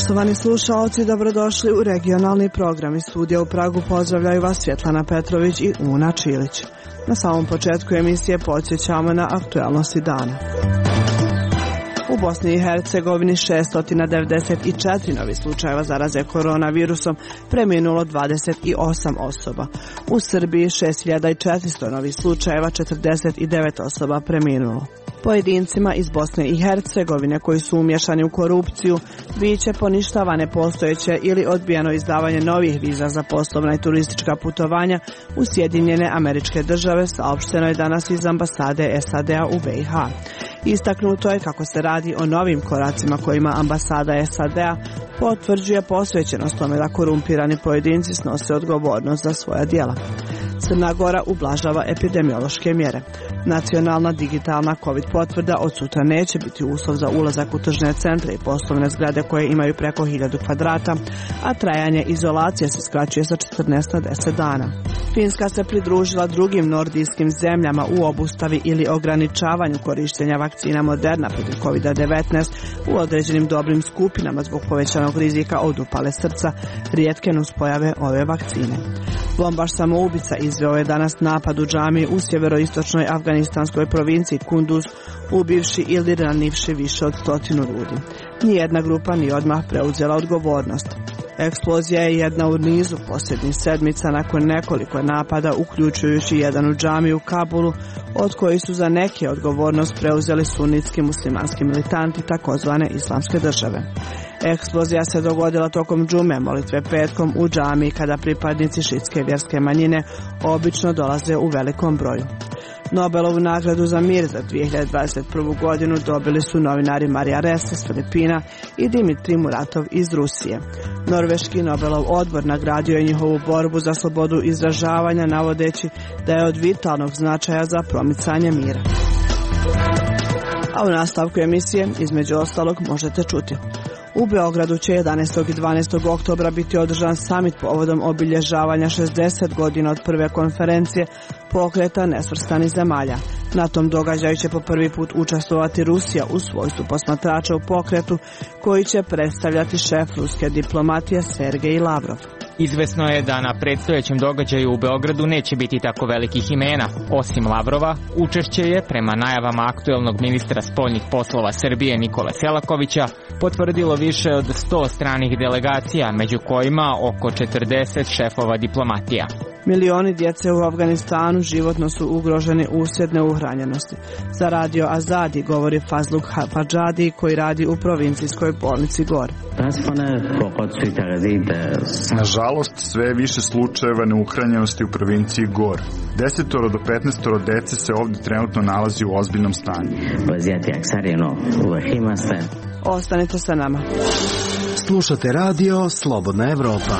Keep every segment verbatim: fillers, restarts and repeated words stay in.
Poštovani slušaoci, dobrodošli u regionalni program. Iz studija u Pragu pozdravljaju vas Svjetlana Petrović i Una Čilić. Na samom početku emisije podsjećamo na aktualnosti dana. U Bosni i Hercegovini šesto devedeset četiri novi slučajeva zaraze koronavirusom, preminulo dvadeset osam osoba. U Srbiji šest hiljada četiristo novih slučajeva, četrdeset devet osoba preminulo. Pojedincima iz Bosne i Hercegovine koji su umješani u korupciju biće poništavane postojeće ili odbijeno izdavanje novih viza za poslovna i turistička putovanja u Sjedinjene Američke Države, saopšteno je danas iz ambasade S A D-a u B i H. Istaknuto je kako se radi o novim koracima kojima ambasada S A D-a potvrđuje posvećenost tome da korumpirani pojedinci snose odgovornost za svoja djela. Crna Gora ublažava epidemiološke mjere. Nacionalna digitalna COVID potvrda od sutra neće biti uslov za ulazak u tržne centre i poslovne zgrade koje imaju preko hiljadu kvadrata, a trajanje izolacije se skraćuje sa četrnaest na deset dana. Finska se pridružila drugim nordijskim zemljama u obustavi ili ograničavanju korištenja vakcina Moderna protiv kovid devetnaest u određenim dobrim skupinama zbog povećanog rizika od upale srca, rijetke nuspojave ove vakcine. Bombaš samoubica izveo je danas napad u džamiji u sjeveroistočnoj afganistanskoj provinciji Kunduz, ubivši ili ranivši više od stotinu ljudi. Nijedna grupa nije odmah preuzela odgovornost. Eksplozija je jedna u nizu posljednjih sedmica nakon nekoliko napada, uključujući jedan u džamiji u Kabulu, od koji su za neke odgovornost preuzeli sunitski muslimanski militanti takozvane islamske države. Eksplozija se dogodila tokom džume, molitve petkom u džamiji, kada pripadnici šitske vjerske manjine obično dolaze u velikom broju. Nobelovu nagradu za mir za dvije hiljade dvadeset prvu godinu dobili su novinari Marija Ressa s Filipina i Dimitrij Muratov iz Rusije. Norveški Nobelov odbor nagradio je njihovu borbu za slobodu izražavanja, navodeći da je od vitalnog značaja za promicanje mira. A u nastavku emisije, između ostalog, možete čuti. U Beogradu će jedanaestog i dvanaestog oktobra biti održan samit povodom obilježavanja šezdeset godina od prve konferencije pokreta nesvrstanih zemalja. Na tom događaju će po prvi put učestvovati Rusija u svojstvu posmatrača u pokretu, koji će predstavljati šef ruske diplomatije Sergej Lavrov. Izvesno je da na predstojećem događaju u Beogradu neće biti tako velikih imena. Osim Lavrova, učešće je, prema najavama aktuelnog ministra spoljnih poslova Srbije Nikole Selakovića, potvrdilo više od sto stranih delegacija, među kojima oko četrdeset šefova diplomatija. Milioni djece u Afganistanu životno su ugroženi uslijed neuhranjenosti. Za radio Azadi govori Fazluk Hapadžadi, koji radi u provincijskoj bolnici Gor. Nažalost, sve je više slučajeva neuhranjenosti u provinciji Gor. Desetoro do petnaestoro dece se ovdje trenutno nalazi u ozbiljnom stanju. Ostanite sa nama. Slušate radio Slobodna Evropa.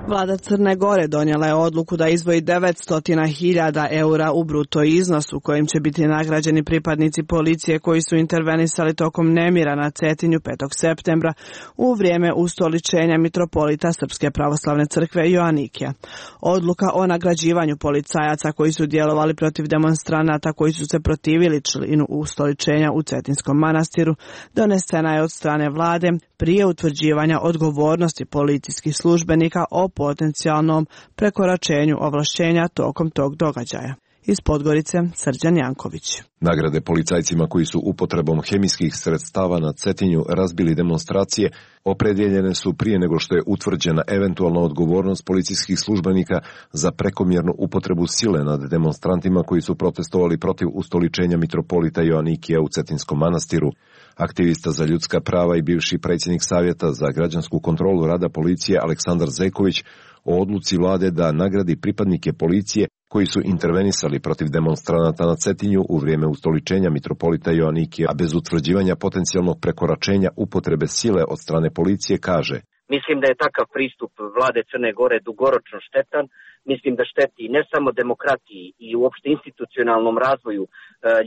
Vlada Crne Gore donijela je odluku da izdvoji devetsto hiljada eura u bruto iznosu kojim će biti nagrađeni pripadnici policije koji su intervenisali tokom nemira na Cetinju petog septembra u vrijeme ustoličenja mitropolita Srpske pravoslavne crkve Joanikija. Odluka o nagrađivanju policajaca koji su djelovali protiv demonstranata koji su se protivili činu ustoličenja u Cetinskom manastiru donesena je od strane vlade prije utvrđivanja odgovornosti policijskih službenika o potencijalnom prekoračenju ovlašćenja tokom tog događaja. Iz Podgorice, Srđan Janković. Nagrade policajcima koji su upotrebom hemijskih sredstava na Cetinju razbili demonstracije opredjeljene su prije nego što je utvrđena eventualna odgovornost policijskih službenika za prekomjernu upotrebu sile nad demonstrantima koji su protestovali protiv ustoličenja mitropolita Joanikija u Cetinskom manastiru. Aktivista za ljudska prava i bivši predsjednik Savjeta za građansku kontrolu rada policije Aleksandar Zeković o odluci vlade da nagradi pripadnike policije koji su intervenisali protiv demonstranata na Cetinju u vrijeme ustoličenja mitropolita Joanikija, a bez utvrđivanja potencijalnog prekoračenja upotrebe sile od strane policije, kaže: Mislim da je takav pristup vlade Crne Gore dugoročno štetan. Mislim da šteti ne samo demokratiji i uopšte institucionalnom razvoju e,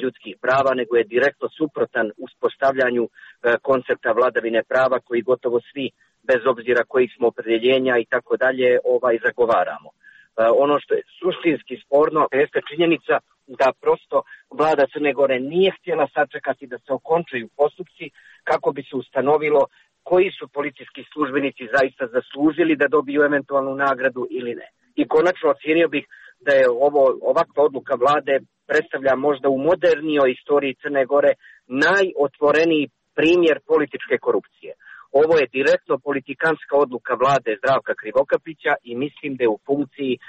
ljudskih prava, nego je direktno suprotan uspostavljanju e, koncepta vladavine prava koji gotovo svi, bez obzira kojih smo opredjeljenja i tako dalje, ovaj zagovaramo. E, ono što je suštinski sporno jeste činjenica da prosto vlada Crne Gore nije htjela sačekati da se okončaju postupci kako bi se ustanovilo koji su policijski službenici zaista zaslužili da dobiju eventualnu nagradu ili ne. I konačno ocjenio bih da je ovo ovakva odluka vlade predstavlja možda u modernijoj istoriji Crne Gore najotvoreniji primjer političke korupcije. Ovo je direktno politikanska odluka vlade Zdravka Krivokapića i mislim da je u funkciji e,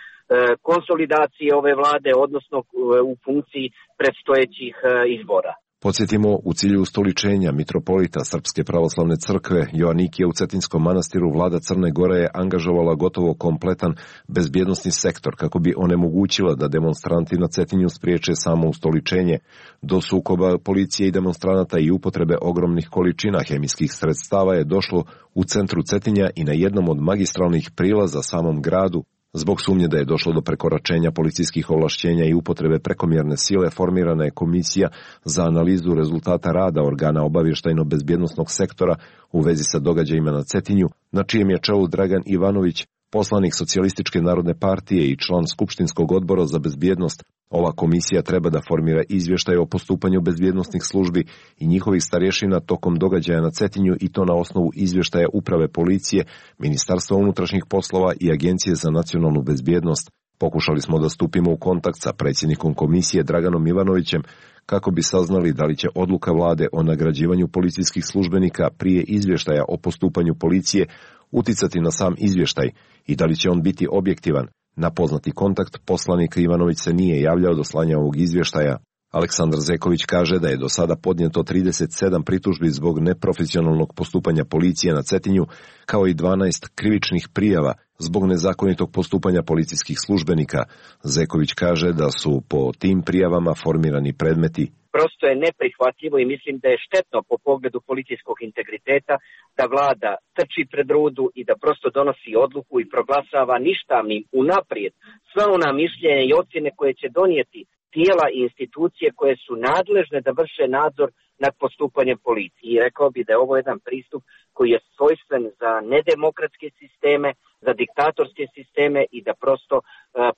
konsolidacije ove vlade, odnosno e, u funkciji predstojećih e, izbora. Podsjetimo, u cilju ustoličenja mitropolita Srpske pravoslavne crkve Joanikije u Cetinskom manastiru vlada Crne Gore je angažovala gotovo kompletan bezbjednosni sektor kako bi onemogućila da demonstranti na Cetinju spriječe samo ustoličenje. Do sukoba policije i demonstranata i upotrebe ogromnih količina hemijskih sredstava je došlo u centru Cetinja i na jednom od magistralnih prilaza samom gradu. Zbog sumnje da je došlo do prekoračenja policijskih ovlašćenja i upotrebe prekomjerne sile, formirana je komisija za analizu rezultata rada organa obavještajno-bezbjednosnog sektora u vezi sa događajima na Cetinju, na čijem je čelu Dragan Ivanović, poslanik Socijalističke narodne partije i član Skupštinskog odbora za bezbjednost. Ova komisija treba da formira izvještaj o postupanju bezbjednosnih službi i njihovih starješina tokom događaja na Cetinju i to na osnovu izvještaja Uprave policije, Ministarstva unutrašnjih poslova i Agencije za nacionalnu bezbjednost. Pokušali smo da stupimo u kontakt sa predsjednikom komisije Draganom Ivanovićem kako bi saznali da li će odluka vlade o nagrađivanju policijskih službenika prije izvještaja o postupanju policije uticati na sam izvještaj i da li će on biti objektivan. Na poznati kontakt poslanik Ivanović se nije javljao do slanja ovog izvještaja. Aleksandar Zeković kaže da je do sada podnijeto trideset sedam pritužbi zbog neprofesionalnog postupanja policije na Cetinju, kao i dvanaest krivičnih prijava zbog nezakonitog postupanja policijskih službenika. Zeković kaže da su po tim prijavama formirani predmeti. Prosto je neprihvatljivo i mislim da je štetno po pogledu policijskog integriteta da vlada trči pred rudu i da prosto donosi odluku i proglasava ništavnim unaprijed sva ona mišljenja i ocjene koje će donijeti tijela i institucije koje su nadležne da vrše nadzor nad postupanjem policije. I rekao bi da je ovo jedan pristup koji je svojstven za nedemokratske sisteme, za diktatorske sisteme i da prosto e,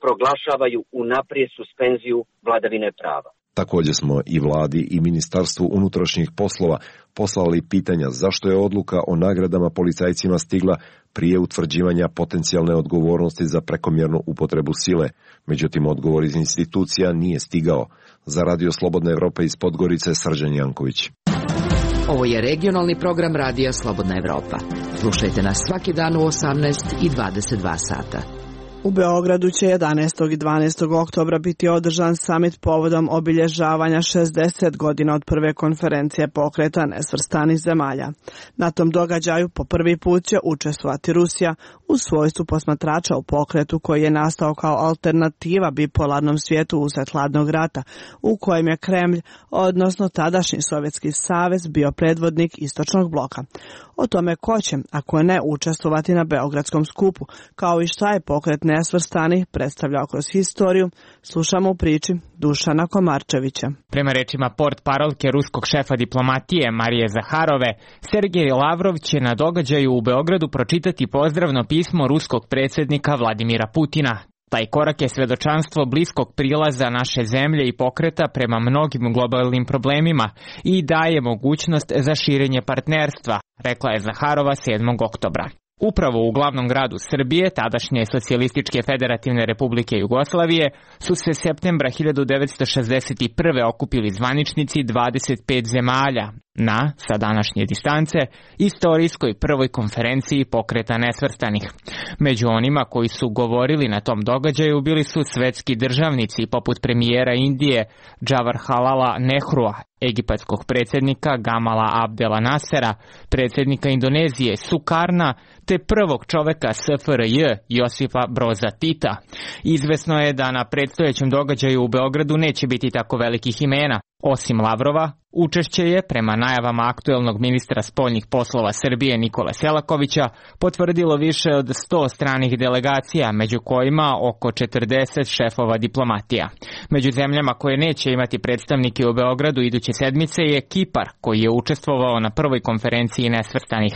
proglašavaju unaprijed suspenziju vladavine prava. Također smo i vladi i Ministarstvu unutrašnjih poslova poslali pitanja zašto je odluka o nagradama policajcima stigla prije utvrđivanja potencijalne odgovornosti za prekomjernu upotrebu sile. Međutim, odgovor iz institucija nije stigao. Za Radio Slobodna Evropa iz Podgorice, Srđan Janković. Ovo je regionalni program Radija Slobodna Evropa. Slušajte nas svaki dan u osamnaest i dvadeset dva sata. U Beogradu će jedanaestog i dvanaestog oktobra biti održan samit povodom obilježavanja šezdeset godina od prve konferencije pokreta nesvrstanih zemalja. Na tom događaju po prvi put će učestvovati Rusija u svojstvu posmatrača u pokretu koji je nastao kao alternativa bipolarnom svijetu usred hladnog rata, u kojem je Kremlj, odnosno tadašnji Sovjetski savez, bio predvodnik istočnog bloka. O tome ko će, ako ne, učestvovati na Beogradskom skupu, kao i šta je pokret nesvrstanih predstavljao kroz historiju, slušamo u priči Dušana Komarčevića. Prema rečima portparolke ruskog šefa diplomatije Marije Zaharove, Sergej Lavrov će na događaju u Beogradu pročitati pozdravno pismo ruskog predsjednika Vladimira Putina. Taj korak je svedočanstvo bliskog prilaza naše zemlje i pokreta prema mnogim globalnim problemima i daje mogućnost za širenje partnerstva, rekla je Zaharova sedmog oktobra. Upravo u glavnom gradu Srbije, tadašnje Socijalističke federativne republike Jugoslavije, su se septembra hiljadu devetsto šezdeset prve okupili zvaničnici dvadeset pet zemalja na, sa današnje distance, istorijskoj prvoj konferenciji pokreta nesvrstanih. Među onima koji su govorili na tom događaju bili su svetski državnici poput premijera Indije Jawaharlala Nehrua, egipatskog predsjednika Gamala Abdela Nasera, predsjednika Indonezije Sukarna, te prvog čoveka S F R J Josipa Broza Tita. Izvesno je da na predstojećem događaju u Beogradu neće biti tako velikih imena. Osim Lavrova, učešće je, prema najavama aktuelnog ministra spoljnih poslova Srbije Nikole Selakovića, potvrdilo više od sto stranih delegacija, među kojima oko četrdeset šefova diplomatija. Među zemljama koje neće imati predstavnike u Beogradu iduće sedmice je Kipar, koji je učestvovao na prvoj konferenciji nesvrstanih.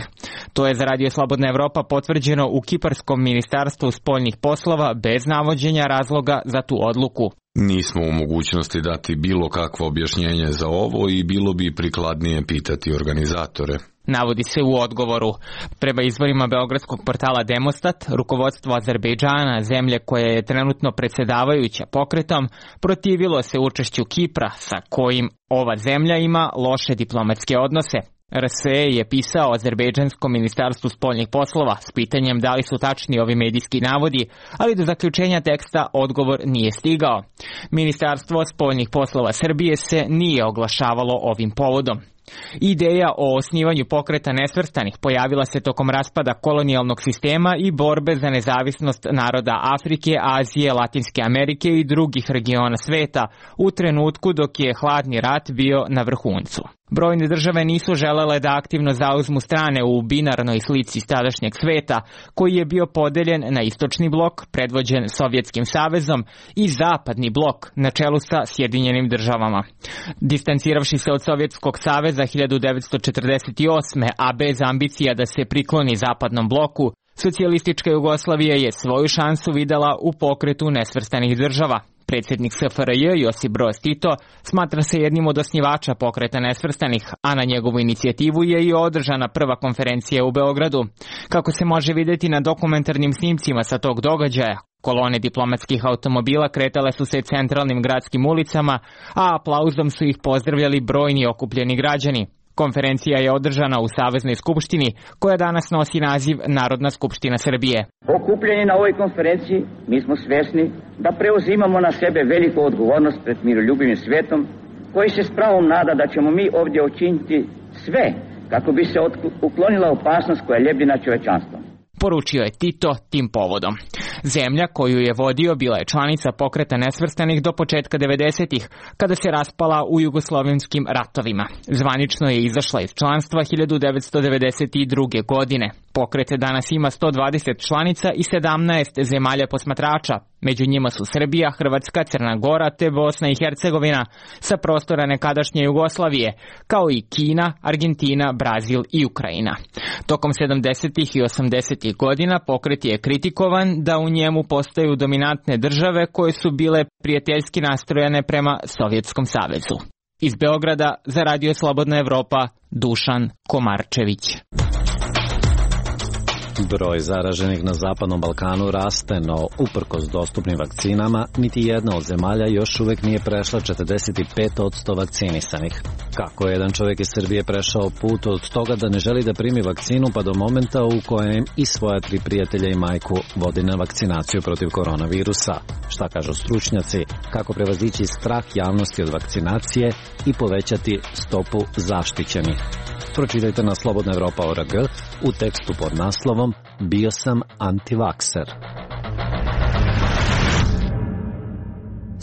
To je za Radio Slobodna Evropa potvrđeno u Kiparskom ministarstvu spoljnih poslova bez navođenja razloga za tu odluku. Nismo u mogućnosti dati bilo kakvo objašnjenje za ovo i bilo bi prikladnije pitati organizatore. Navodi se u odgovoru. Prema izvorima beogradskog portala Demostat, rukovodstvo Azerbejdžana, zemlje koja je trenutno predsjedavajuća pokretom, protivilo se učešću Kipra, sa kojim ova zemlja ima loše diplomatske odnose. R S E je pisao Azerbejdžanskom ministarstvu spoljnih poslova s pitanjem da li su tačni ovi medijski navodi, ali do zaključenja teksta odgovor nije stigao. Ministarstvo spoljnih poslova Srbije se nije oglašavalo ovim povodom. Ideja o osnivanju pokreta nesvrstanih pojavila se tokom raspada kolonijalnog sistema i borbe za nezavisnost naroda Afrike, Azije, Latinske Amerike i drugih regiona sveta u trenutku dok je hladni rat bio na vrhuncu. Brojne države nisu želele da aktivno zauzmu strane u binarnoj slici tadašnjeg sveta, koji je bio podeljen na istočni blok, predvođen Sovjetskim savezom, i zapadni blok, na čelu sa Sjedinjenim državama. Distanciravši se od Sovjetskog saveza hiljadu devetsto četrdeset osme. a bez ambicija da se prikloni zapadnom bloku, socijalistička Jugoslavija je svoju šansu videla u pokretu nesvrstanih država. Predsjednik S F R J Josip Broz Tito smatra se jednim od osnivača pokreta nesvrstanih, a na njegovu inicijativu je i održana prva konferencija u Beogradu. Kako se može vidjeti na dokumentarnim snimcima sa tog događaja, kolone diplomatskih automobila kretale su se centralnim gradskim ulicama, a aplauzom su ih pozdravljali brojni okupljeni građani. Konferencija je održana u Saveznoj skupštini, koja danas nosi naziv Narodna skupština Srbije. Okupljeni na ovoj konferenciji, mi smo svjesni da preuzimamo na sebe veliku odgovornost pred miroljubivim svijetom, koji se s pravom nada da ćemo mi ovdje učiniti sve kako bi se uklonila opasnost koja ljebi na čovečanstvo. Poručio je Tito tim povodom. Zemlja koju je vodio bila je članica pokreta nesvrstanih do početka devedesetih, kada se raspala u jugoslovenskim ratovima. Zvanično je izašla iz članstva hiljadu devetsto devedeset druge. godine. Pokret danas ima sto dvadeset članica i sedamnaest zemalja posmatrača. Među njima su Srbija, Hrvatska, Crna Gora te Bosna i Hercegovina sa prostora nekadašnje Jugoslavije, kao i Kina, Argentina, Brazil i Ukrajina. Tokom sedamdesetih i osamdesetih godina pokret je kritikovan da u njemu postaju dominantne države koje su bile prijateljski nastrojene prema Sovjetskom savezu. Iz Beograda za Radio Slobodna Evropa, Dušan Komarčević. Broj zaraženih na Zapadnom Balkanu raste, no uprkos dostupnim vakcinama, niti jedna od zemalja još uvek nije prešla četrdeset pet posto vakcinisanih. Kako je jedan čovjek iz Srbije prešao put od toga da ne želi da primi vakcinu pa do momenta u kojem i svoja tri prijatelja i majku vodi na vakcinaciju protiv koronavirusa? Šta kažu stručnjaci? Kako prevazići strah javnosti od vakcinacije i povećati stopu zaštićenih? Pročitajte na Slobodna Evropa O R G u tekstu pod naslovom Bio sam antivakser.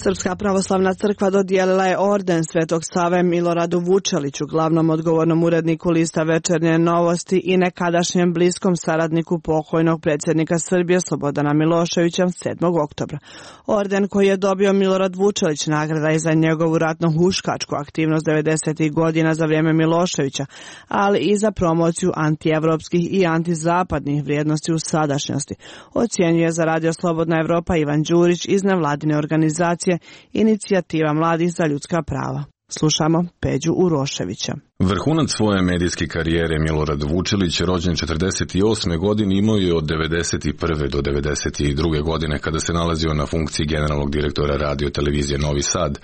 Srpska pravoslavna crkva dodijelila je orden Svetog Save Miloradu Vučeliću, glavnom odgovornom uredniku lista Večernje novosti i nekadašnjem bliskom saradniku pokojnog predsjednika Srbije Slobodana Miloševića sedmog oktobra. Orden koji je dobio Milorad Vučelić nagrada je za njegovu ratno-huškačku aktivnost devedesetih godina za vrijeme Miloševića, ali i za promociju antievropskih i antizapadnih vrijednosti u sadašnjosti, ocjenjuje za Radio Slobodna Evropa Ivan Đurić iz nevladine organizacije Inicijativa mladih za ljudska prava. Slušamo Peđu Uroševića. Vrhunac svoje medijske karijere Milorad Vučelić, rođen četrdeset osme. godine, imao je od devedeset prve do devedeset druge. godine kada se nalazio na funkciji generalnog direktora radio televizije Novi Sad,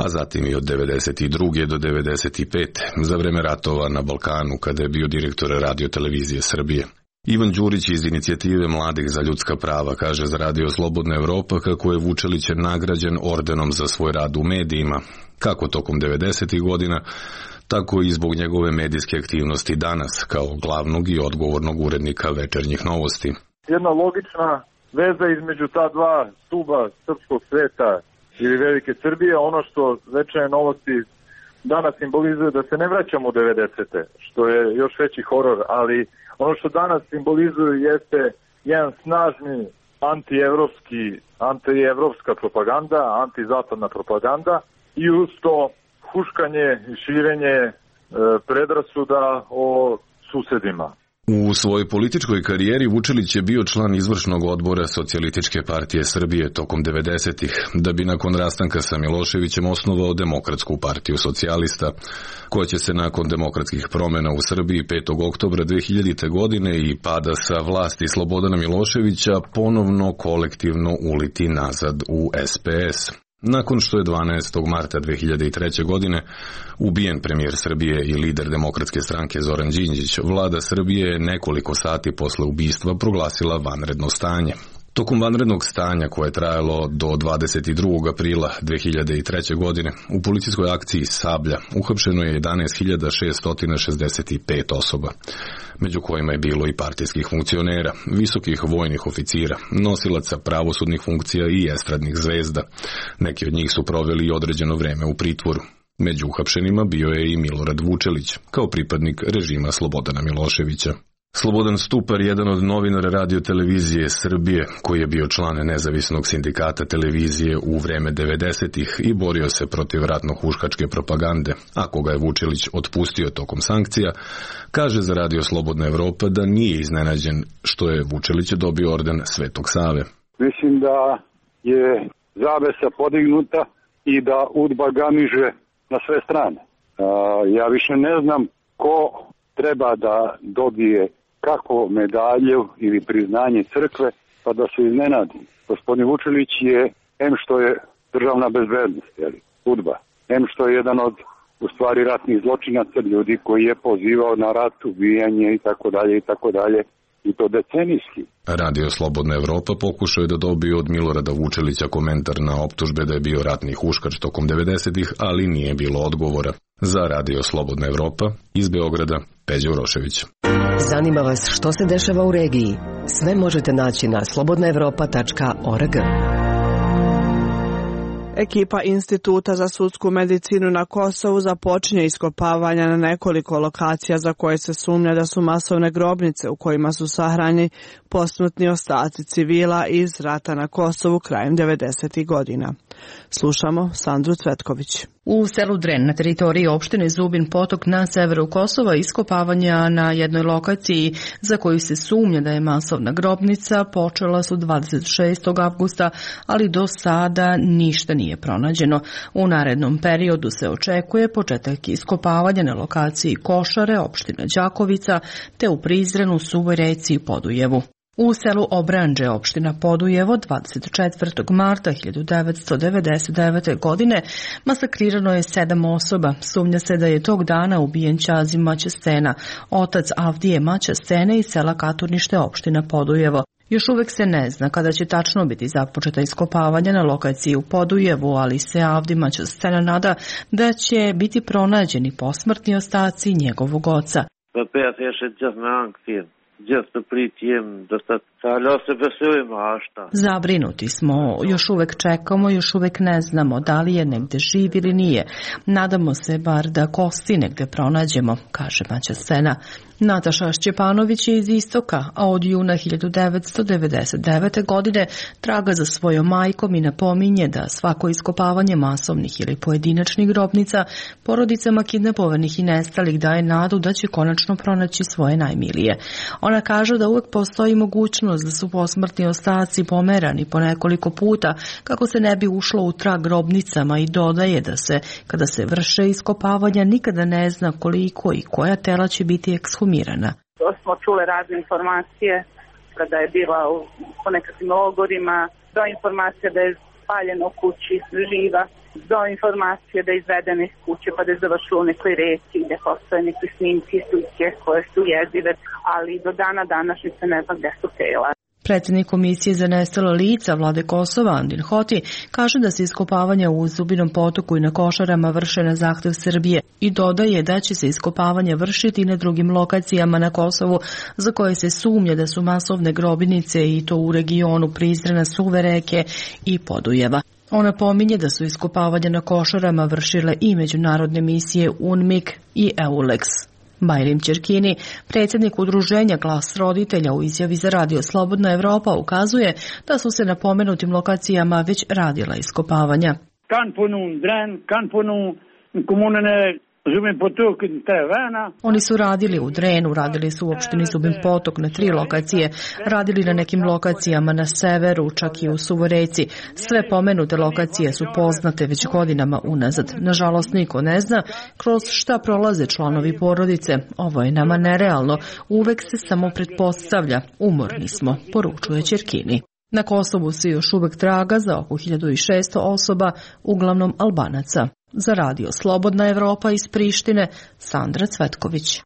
a zatim i od devedeset druge. do devedeset pete. za vreme ratova na Balkanu kada je bio direktor radio televizije Srbije. Ivan Đurić iz Inicijative mladih za ljudska prava kaže za Radio Slobodna Evropa kako je Vučelić nagrađen ordenom za svoj rad u medijima, kako tokom devedesetih. godina, tako i zbog njegove medijske aktivnosti danas kao glavnog i odgovornog urednika Večernjih novosti. Jedna logična veza između ta dva stuba srpskog sveta ili Velike Srbije, ono što Večernje novosti danas simbolizuje da se ne vraćamo u devedesete, što je još veći horor, ali ono što danas simbolizuju jeste jedan snažni antievropski, antievropska propaganda, antizapadna propaganda i uz to huškanje i širenje e, predrasuda o susedima. U svojoj političkoj karijeri Vučelić je bio član izvršnog odbora Socijalističke partije Srbije tokom devedesetih, da bi nakon rastanka sa Miloševićem osnovao Demokratsku partiju socijalista, koja će se nakon demokratskih promjena u Srbiji petog oktobra dve hiljadite. godine i pada sa vlasti Slobodana Miloševića ponovno kolektivno uliti nazad u es pe es. Nakon što je dvanaestog marta dve hiljade treće. godine ubijen premijer Srbije i lider Demokratske stranke Zoran Đinđić, vlada Srbije je nekoliko sati posle ubistva proglasila vanredno stanje. Tokom vanrednog stanja, koje je trajalo do dvadeset drugog aprila dve hiljade treće. godine, u policijskoj akciji Sablja uhapšeno je jedanaest hiljada šeststo šezdeset pet osoba, među kojima je bilo i partijskih funkcionera, visokih vojnih oficira, nosilaca pravosudnih funkcija i estradnih zvezda. Neki od njih su proveli i određeno vreme u pritvoru. Među uhapšenima bio je i Milorad Vučelić, kao pripadnik režima Slobodana Miloševića. Slobodan Stupar, jedan od novinara radio televizije Srbije, koji je bio član nezavisnog sindikata televizije u vreme devedesetih i borio se protiv ratno-huškačke propagande, a koga je Vučelić otpustio tokom sankcija, kaže za Radio Slobodna Evropa da nije iznenađen što je Vučelić dobio orden Svetog Save. Mislim da je zavesa podignuta i da udba gamiže na sve strane. Ja više ne znam ko treba da dobije kako medalju ili priznanje crkve, pa da se iznenadi. Gospodin Vučelić je, em što je državna bezbednost, jeli, udba, em što je jedan od, u stvari, ratnih zločinaca, ljudi koji je pozivao na rat, ubijanje i tako dalje i tako dalje, i to decenijski. Radio Slobodna Evropa pokušao je da dobije od Milorada Vučelića komentar na optužbe da je bio ratni huškač tokom devedesetih, ali nije bilo odgovora. Za Radio Slobodna Evropa iz Beograda, Peđa Urošević. Zanima vas što se dešava u regiji? Sve možete naći na slobodna evropa tačka org. Ekipa Instituta za sudsku medicinu na Kosovu započinje iskopavanja na nekoliko lokacija za koje se sumnja da su masovne grobnice u kojima su sahranjeni posmrtni ostaci civila iz rata na Kosovu krajem devedesetih godina. Slušamo Sandru Cvetković. U selu Dren na teritoriji opštine Zubin Potok na severu Kosova iskopavanja na jednoj lokaciji za koju se sumnja da je masovna grobnica počela su dvadeset šestog avgusta, ali do sada ništa nije pronađeno. U narednom periodu se očekuje početak iskopavanja na lokaciji Košare, opština Đakovica, te u Prizrenu, Suvoj Reci i Podujevu. U selu Obranđe, opština Podujevo, dvadeset četvrtog marta hiljadu devetsto devedeset devete. godine masakrirano je sedam osoba. Sumnja se da je tog dana ubijen Ćazi Maćestena, otac Avdije Maćestene iz sela Katurnište, opština Podujevo. Još uvek se ne zna kada će tačno biti započeta iskopavanja na lokaciji u Podujevu, ali se Avdi Maćestena nada da će biti pronađeni posmrtni ostaci njegovog oca. Zabrinuti smo, još uvek čekamo, još uvek ne znamo da li je negde živ ili nije. Nadamo se bar da kosti negde pronađemo, kaže Maćestena. Nataša Šćepanović je iz Istoka, a od juna hiljadu devetsto devedeset devete. godine traga za svojom majkom i napominje da svako iskopavanje masovnih ili pojedinačnih grobnica porodicama kidnapovanih i nestalih daje nadu da će konačno pronaći svoje najmilije. Ona kaže da uvek postoji mogućnost da su posmrtni ostaci pomerani po nekoliko puta kako se ne bi ušlo u trag grobnicama i dodaje da se, kada se vrše iskopavanja, nikada ne zna koliko i koja tela će biti ekshumirana. To smo čule razne informacije kada je bila u, po nekakvim logorima, do informacije da je spaljeno u kući živa, do informacije da je izvedena iz kuće pa da je završila u nekoj reci gde postoje neke snimke i slike koje su jezive, ali do dana današnjice ne znam gde su tela. Predsjednik Komisije za nestala lica Vlade Kosova, Andin Hoti, kaže da se iskopavanja u Zubinom Potoku i na Košarama vrše na zahtev Srbije i dodaje da će se iskopavanja vršiti na drugim lokacijama na Kosovu za koje se sumnja da su masovne grobnice i to u regionu Prizrena, Suve Reke i Podujeva. Ona pominje da su iskopavanja na Košarama vršile i međunarodne misije UNMIK i EULEX. Bajrim Ćerkini, predsjednik udruženja Glas roditelja, u izjavi za Radio Slobodna Evropa ukazuje da su se na pomenutim lokacijama već radila iskopavanja. Kan på noen dren, kan på noen kommunene Oni su radili u Drenu, radili su u opštini Zubin Potok na tri lokacije, radili na nekim lokacijama na severu, čak i u Suvoreci. Sve pomenute lokacije su poznate već godinama unazad. Nažalost, niko ne zna kroz šta prolaze članovi porodice. Ovo je nama nerealno. Uvek se samo pretpostavlja. Umorni smo, poručuje Ćerkini. Na Kosovu se još uvek traga za oko hiljadu šesto osoba, uglavnom Albanaca. Za radio Slobodna Evropa iz Prištine, Sandra Cvetković.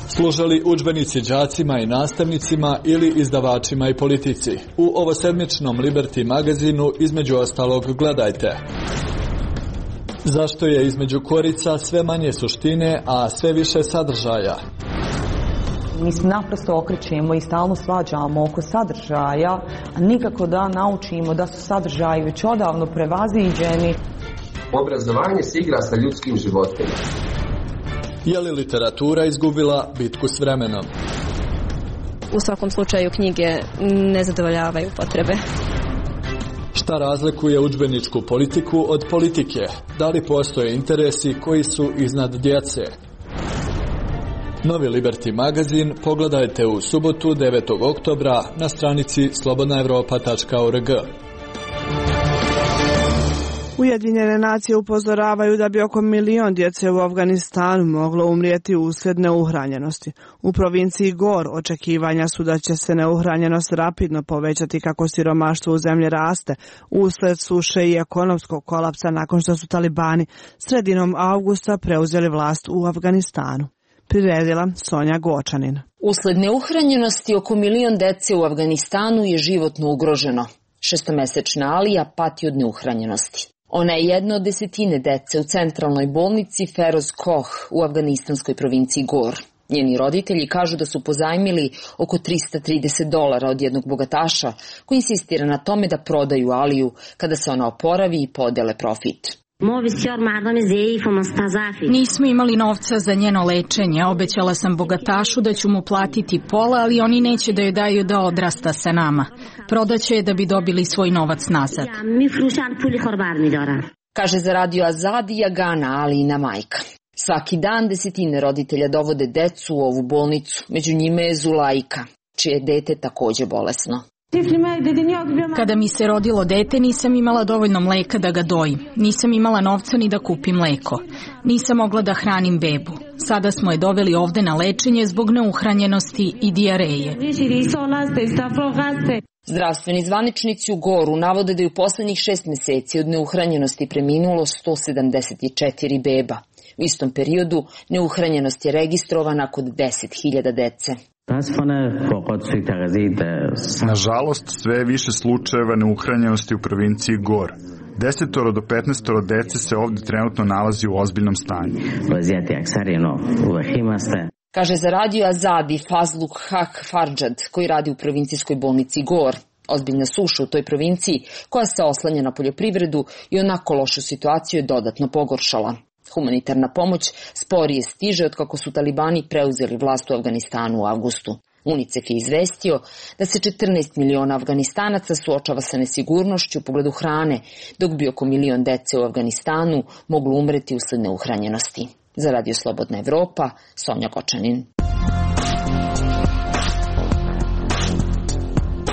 Služali udžbenici đacima i nastavnicima ili izdavačima i politici. U ovosedmičnom Liberty magazinu između ostalog gledajte. Zašto je između korica sve manje suštine, a sve više sadržaja? Mi se naprosto okrećemo i stalno svađamo oko sadržaja, a nikako da naučimo da su sadržaji već odavno prevaziđeni. Obrazovanje se igra sa ljudskim životima. Je li literatura izgubila bitku s vremenom? U svakom slučaju knjige ne zadovoljavaju potrebe. Šta razlikuje udžbeničku politiku od politike? Da li postoje interesi koji su iznad djece? Novi Liberty magazin pogledajte u subotu devetog oktobra na stranici slobodna evropa tačka org. Ujedinjene nacije upozoravaju da bi oko milion djece u Afganistanu moglo umrijeti uslijed neuhranjenosti. U provinciji Gor očekivanja su da će se neuhranjenost rapidno povećati kako siromaštvo u zemlji raste uslijed suše i ekonomskog kolapsa nakon što su talibani sredinom avgusta preuzeli vlast u Afganistanu. Priredila Sonja Gočanin. Usled neuhranjenosti oko milion dece u Afganistanu je životno ugroženo. Šestomesečna Alija pati od neuhranjenosti. Ona je jedna od desetine dece u centralnoj bolnici Feroz Koh u afganistanskoj provinciji Gor. Njeni roditelji kažu da su pozajmili oko trista trideset dolara od jednog bogataša koji insistira na tome da prodaju Aliju kada se ona oporavi i podele profit. Nismo imali novca za njeno lečenje. Obećala sam bogatašu da ću mu platiti pola, ali oni neće da joj daju da odrasta sa nama. Prodaće je da bi dobili svoj novac nazad. Kaže za radio Azadi Jagana, Alijina majka. Svaki dan desetine roditelja dovode decu u ovu bolnicu. Među njime je Zulajka, čije je dete takođe bolesno. Kada mi se rodilo dete, nisam imala dovoljno mleka da ga dojim. Nisam imala novca ni da kupim mleko. Nisam mogla da hranim bebu. Sada smo je doveli ovde na lečenje zbog neuhranjenosti i dijareje. Zdravstveni zvaničnici u Goru navode da je u poslednjih šest meseci od neuhranjenosti preminulo sto sedamdeset četiri beba. U istom periodu neuhranjenost je registrovana kod deset hiljada dece. Nažalost, sve je više slučajeva neuhranjenosti u provinciji Gor. Desetoro do petnaestoro dece se ovdje trenutno nalazi u ozbiljnom stanju. Kaže za radio Azadi Fazluk Hak Farđad, koji radi u provincijskoj bolnici Gor. Ozbiljna suša u toj provinciji, koja se oslanja na poljoprivredu i onako lošu situaciju je dodatno pogoršala. Humanitarna pomoć sporije stiže od kako su talibani preuzeli vlast u Afganistanu u avgustu. UNICEF je izvestio da se četrnaest miliona Afganistanaca suočava sa nesigurnošću u pogledu hrane, dok bi oko milion dece u Afganistanu moglo umreti usled neuhranjenosti. Za radio Slobodna Evropa, Sonja Gočanin.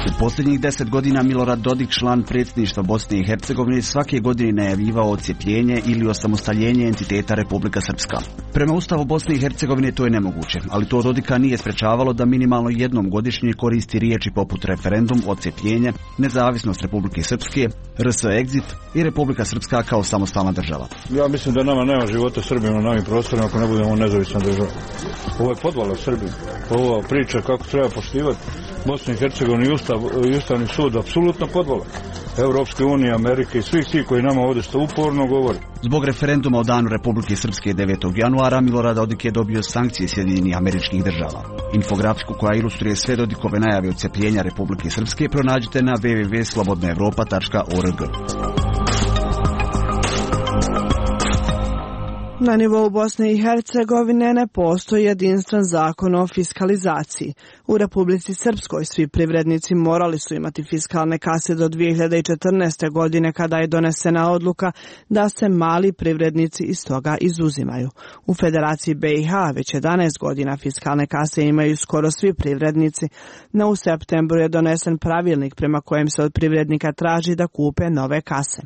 U posljednjih deset godina Milorad Dodik, član predsjedništva Bosne i Hercegovine, svake godine najavljivao odcjepljenje ili osamostaljenje entiteta Republika Srpska. Prema Ustavu Bosne i Hercegovine to je nemoguće, ali to Dodika nije sprečavalo da minimalno jednom godišnje koristi riječi poput referendum, odcjepljenje, nezavisnost Republike Srpske, R S Exit i Republika Srpska kao samostalna država. Ja mislim da nama nema života Srbima na ovim prostorima ako ne budemo nezavisna država. Ovo je podvala Srbije. Ova priča kako treba poštivati Bosnu i Hercegovinu i Ustav, i Ustavni sud, apsolutno podvala. Evropske unije, Amerike i svih ti koji nama ovdje što uporno govori. Zbog referenduma o danu Republike Srpske devetog januara Milorad Dodik je dobio sankcije Sjedinjenih Američkih Država. Infografsku koja ilustruje sve Dodikove najave odcepljenja Republike Srpske pronađite na w w w tačka slobodna evropa tačka org. Na nivou Bosne i Hercegovine ne postoji jedinstven zakon o fiskalizaciji. U Republici Srpskoj svi privrednici morali su imati fiskalne kase do dvije hiljade četrnaeste. godine kada je donesena odluka da se mali privrednici iz toga izuzimaju. U Federaciji B i H već jedanaest godina fiskalne kase imaju skoro svi privrednici, no u septembru je donesen pravilnik prema kojem se od privrednika traži da kupe nove kase.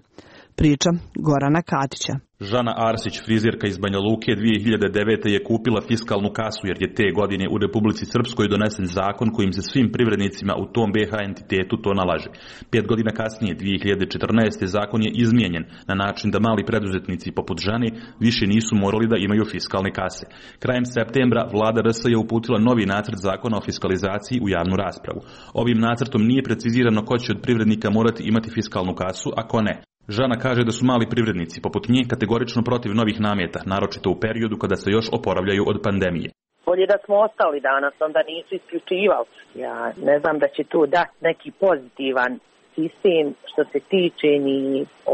Priča Gorana Katića. Žana Arsić, frizerka iz Banja Luke, dvije hiljade devete. je kupila fiskalnu kasu jer je te godine u Republici Srpskoj donesen zakon kojim se svim privrednicima u tom B H entitetu to nalaže. Pet godina kasnije, dvije hiljade četrnaeste. zakon je izmijenjen na način da mali preduzetnici poput Žane više nisu morali da imaju fiskalne kase. Krajem septembra vlada R S je uputila novi nacrt zakona o fiskalizaciji u javnu raspravu. Ovim nacrtom nije precizirano ko će od privrednika morati imati fiskalnu kasu, a ko ne. Žana kaže da su mali privrednici, poput nje, kategorično protiv novih nameta, naročito u periodu kada se još oporavljaju od pandemije. Bolje da smo ostali danas, onda nisu isključivali. Ja ne znam da će tu dati neki pozitivan sistem što se tiče ni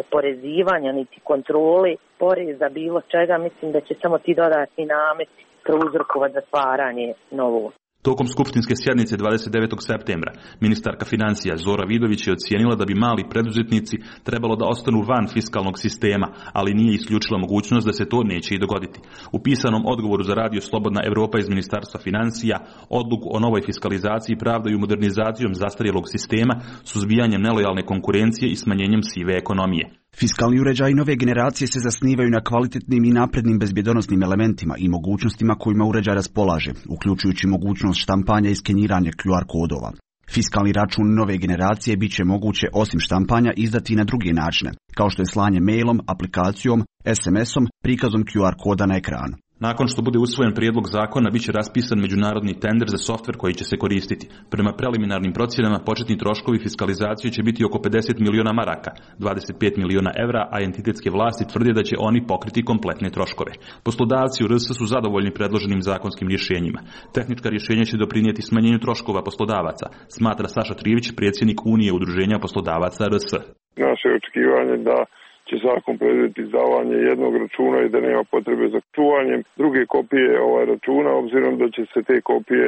oporezivanja, niti kontrole poreza, bilo čega. Mislim da će samo ti dodatni nameti prouzrokovati zatvaranje novog. Tokom skupštinske sjednice dvadeset devetog septembra ministarka financija Zora Vidović je ocijenila da bi mali preduzetnici trebalo da ostanu van fiskalnog sistema, ali nije isključila mogućnost da se to neće i dogoditi. U pisanom odgovoru za radio Slobodna Evropa iz Ministarstva financija odluku o novoj fiskalizaciji pravdaju modernizacijom zastarjelog sistema, suzbijanjem nelojalne konkurencije i smanjenjem sive ekonomije. Fiskalni uređaji nove generacije se zasnivaju na kvalitetnim i naprednim bezbjedonosnim elementima i mogućnostima kojima uređaj raspolaže, uključujući mogućnost štampanja i skeniranja Q R kodova. Fiskalni račun nove generacije bit će moguće osim štampanja izdati i na druge načine, kao što je slanje mailom, aplikacijom, S M S-om, prikazom Q R koda na ekranu. Nakon što bude usvojen prijedlog zakona, bit će raspisan međunarodni tender za softver koji će se koristiti. Prema preliminarnim procjenama, početni troškovi fiskalizacije će biti oko pedeset miliona maraka, dvadeset pet miliona evra, a entitetske vlasti tvrde da će oni pokriti kompletne troškove. Poslodavci u R S su zadovoljni predloženim zakonskim rješenjima. Tehnička rješenja će doprinijeti smanjenju troškova poslodavaca, smatra Saša Trivić, predsjednik Unije udruženja poslodavaca R S. Naše očekivanje da će zakon predvidjeti izdavanje jednog računa i da nema potrebe za čuvanjem druge kopije ovaj računa, obzirom da će se te kopije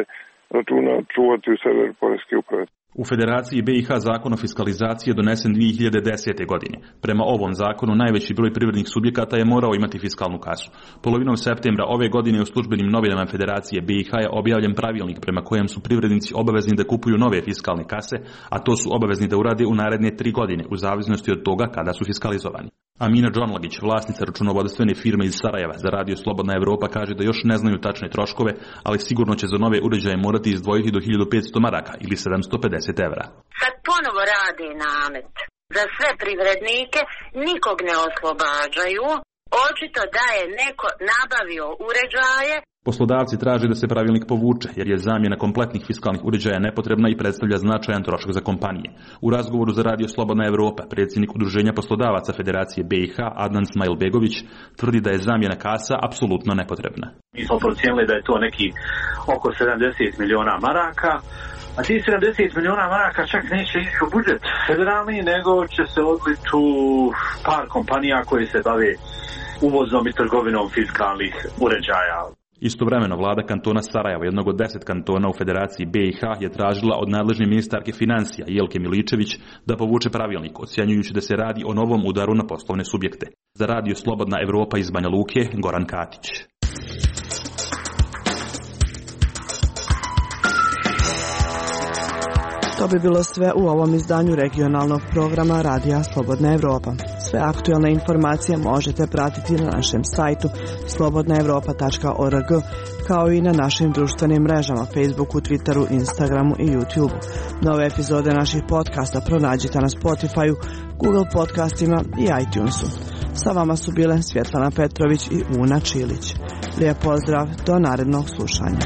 računa čuvati u serveru Poreske uprave. U Federaciji B i H zakon o fiskalizaciji je donesen dvije hiljade desete. godine. Prema ovom zakonu najveći broj privrednih subjekata je morao imati fiskalnu kasu. Polovinom septembra ove godine u službenim novinama Federacije B i H je objavljen pravilnik prema kojem su privrednici obavezni da kupuju nove fiskalne kase, a to su obavezni da urade u naredne tri godine, u zavisnosti od toga kada su fiskalizovani. Amina Džonlagić, vlasnica računovodstvene firme iz Sarajeva za radio Slobodna Evropa, kaže da još ne znaju tačne troškove, ali sigurno će za nove uređaje morati izdvojiti do hiljadu petsto maraka ili sedamsto pedeset evra. Sad ponovo radi namet. Za sve privrednike nikog ne oslobađaju. Očito da je neko nabavio uređaje. Poslodavci traže da se pravilnik povuče, jer je zamjena kompletnih fiskalnih uređaja nepotrebna i predstavlja značajan trošak za kompanije. U razgovoru za radio Slobodna Evropa, predsjednik Udruženja poslodavaca Federacije B i H, Adnan Smajlbegović, tvrdi da je zamjena kasa apsolutno nepotrebna. Mi smo procijenili da je to neki oko sedamdeset miliona maraka, a ti sedamdeset miliona maraka čak neće ići u budžet federalni, nego će se odliti u par kompanija koji se bave uvozom i trgovinom fiskalnih uređaja. Istovremeno vlada kantona Sarajeva, jednog od deset kantona u Federaciji B i H, je tražila od nadležne ministarke financija Jelke Miličević da povuče pravilnik, ocjenjujući da se radi o novom udaru na poslovne subjekte. Za radio Slobodna Evropa iz Banja Luke, Goran Katić. To bi bilo sve u ovom izdanju regionalnog programa Radija Slobodna Evropa. Sve aktualne informacije možete pratiti na našem sajtu slobodna evropa tačka org, kao i na našim društvenim mrežama Facebooku, Twitteru, Instagramu i YouTubeu. Nove epizode naših podcasta pronađite na Spotifyu, Google podcastima i iTunesu. Sa vama su bile Svjetlana Petrović i Una Čilić. Lijep pozdrav, do narednog slušanja.